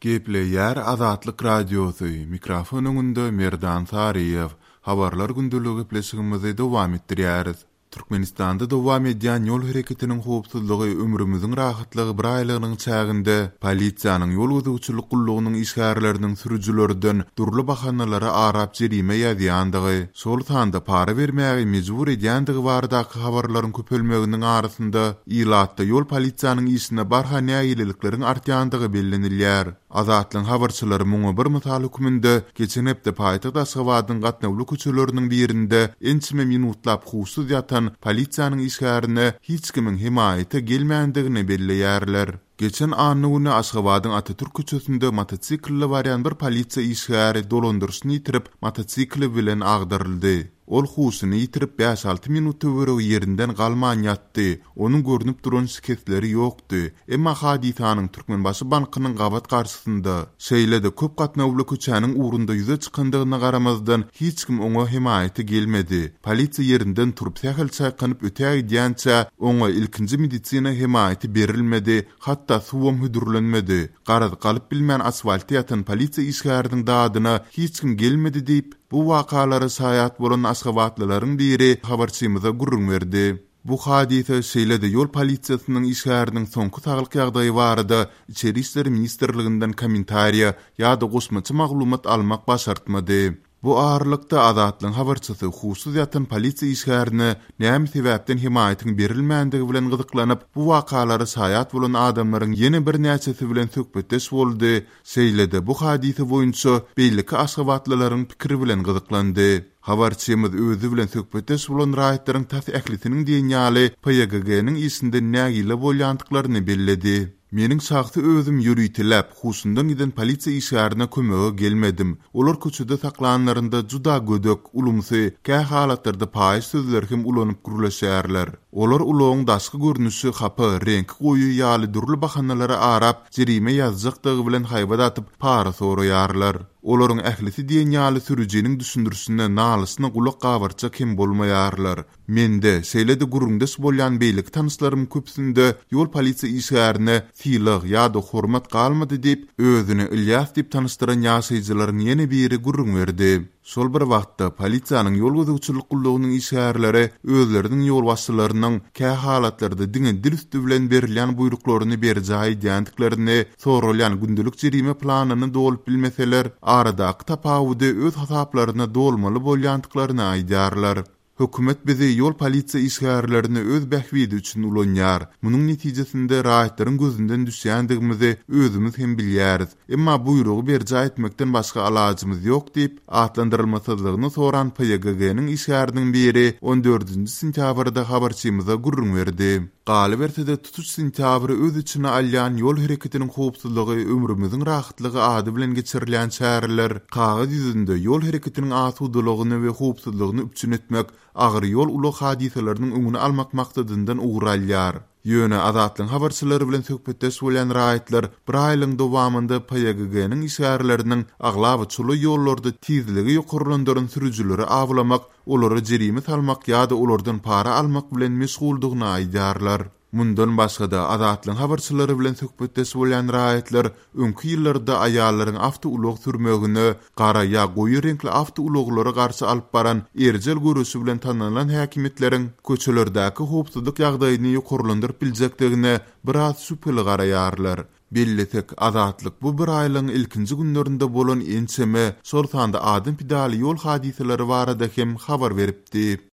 Gepleýär Azatlyk Radiosy, mikrofon öňünde Merdan Saryýew. Habarlar gündeligi gepleşigimizi dowam etdirýäris. Türkmenistanda dowam edýän ýol hereketiniň howpsuzlygy ömrümiziň rahatlygy bir aýlygynyň çäginde polisiýanyň ýol gözegçilik gullugynyň işgärleriniň sürüjilerden dürli bahanalary arap jerime ýazýandygy, şol sanda para bermäge mejbur edýändigi baradaky habarlaryň köpelmeginiň arasynda ilatda ýol polisiýanyň işine barha nägilelikleriň artýandygy bellenilýär. Azatlygyň habarçylary muňa bir mysal hökmünde geçen hepde paýtagt Aşgabadyň gatnawly köçeleriniň birinde ençeme minutlap huşsuz ýatan polisiýanyň işgärine hiç kimiň hemaýata gelmändigini belleýärler. Geçen anna güni Aşgabadyň Atatürk köçesinde motosiklde barýan bir polisiýa işgäri dolandyryşyny ýitirip, motosikli bilen agdaryldy. Ol huşuny ýitirip bäş-alty minut töweregi ýerinden galman ýatdy. Onuň görnüp duran şikesleri ýokdy. Emma hadysanyň Türkmenbaşy bankynyň gabat garşysynda, şeýle-de köp gatnawly köçäniň ugrunda ýüze çykandygyna garamazdan, hiç kim oňa hemaýata gelmedi. Polisiýa ýerinden turup sähel çaýkanyp ötägidýänçä, oňa ilkinji medisina hemaýaty berilmedi, hatda suwam hödürlenmedi. Garaz, galyp bilmän asfaltda ýatan polisiýa işgäriniň dadyna hiç kim gelmedi diýip, Bu wakalara şaýat bolan aşgabatlylaryň biri habarçymyza gürrüň berdi. Bu hadysa, şeýle-de ýol polisiýasynyň işgäriniň soňky saglyk ýagdaýy barada Içeri işler ministrliginden kommentariýa ýa-da goşmaça maglumat almak başartmady. Bu aralykda, Azatlygyň habarçysy huşsuz ýatan polisiýa işgärine näme sebäpden hemaýatyň berilmändigi bilen gyzyklanyp, bu wakalara şaýat bolan adamlaryň ýene birnäçesi bilen söhbetdeş boldy, Şeýle-de bu hadysa boýunça beýleki aşgabatlylaryň pikiri bilen gyzyklandy. Habarçymyz özi bilen söhbetdeş bolan raýatlaryň tas ählisiniň diýen ýaly PYGG-niň işinden nägile bolýandyklaryny belledi. Meniň şahsy özüm ýöriteläp, huşundan giden polisiýa işgärine kömege gelmedim. Olar köçede saklanlarynda juda gödek, ulumsy, kä halatlarda paýyş sözleri hem ulanyp gürleşýärler. Olar ulagyň daşky görnüşi hapa, reňki goýy ýaly dürli bahanalary arap, jerime ýazjakdygy bilen haýbat atyp, para soraýarlar. Olaryň ählisi diýen ýaly sürüjiniň düşündirişine, nalyşyna gulak gabartjak hem bolmaýarlar. Mende, şeýle-de gürrüňdeş bolýan beýleki tanyşlarymyň köpüsinde ýol polisiýa işgärine sylag ýa-da hormat galmady diýip, özüni Ylýas diýip tanyşdyran ýaşaýjylaryň ýene biri gürrüň berdi. Şol bir wagtda, polisiýanyň ýol gözegçilik gullugynyň işgärleri özleriniň ýolbaşçylarynyň kä halatlarda diňe dil üsti bilen berilýän buýruklaryny berjaý edýändiklerini, soralýan gündelik jerime planyny dolup bilmeseler, aradaky tapawudy öz hasaplaryna dolmaly bolýandyklaryny aýdýarlar. Hökümet bizi ýol polisiýa işgärlerini öz bähbidi üçin ulanýar. Munuň netijesinde raýatlaryň gözünden düşýändigimizi özümiz hem bilýäris. Emma buýrugy berjaý etmekden başga alajymyz ýok diýip, atlandyrylmasyzlygyny soran PYGG-niň işgäriniň biri on dördünji sentýabrda habarçymyza gürrüň berdi. Galyberse-de, tutuş sentýabry öz içine alýan Ýol hereketiniň howpsuzlygy ömrümiziň rahatlygy ady bilen geçirilýän çäreler kagyz ýüzünde ýol hereketiniň asudalygyny we howpsuzlygyny üpjün etmek, agyr ýol-ulag hadysalarynyň öňüni almak maksadyndan ugur alýar. Ýöne Azatlygyň habarçylary bilen söhbetdeş bolýan raýatlar bir aýlygyň dowamynda PYGG-niň işgärleriniň aglaba çola ýollarda tizligi ýokarlandyran sürüjileri awlamak olara jerime salmak ýa-da olardan para almak bilen meşguldygyny aýdýarlar. Mundan başga-da, Azatlygyň habarçylary bilen söhbetdeş bolýan raýatlar öňki ýyllarda aýallaryň awtoulag sürmegine, gara ýa goýy reňkli awtoulaglara garşy alyp baran erjel göreşi bilen tanalan häkimiýetleriň köçelerdäki howpsuzlyk ýagdaýyny ýokarlandyryp biljekdigine biraz şübheli garaýarlar. Bellesek, Azatlyk bu bir aýlygyň ilkinji günlerinde bolan ençeme, şol sanda adam pidaly ýol hadysalary barada hem habar beripdi.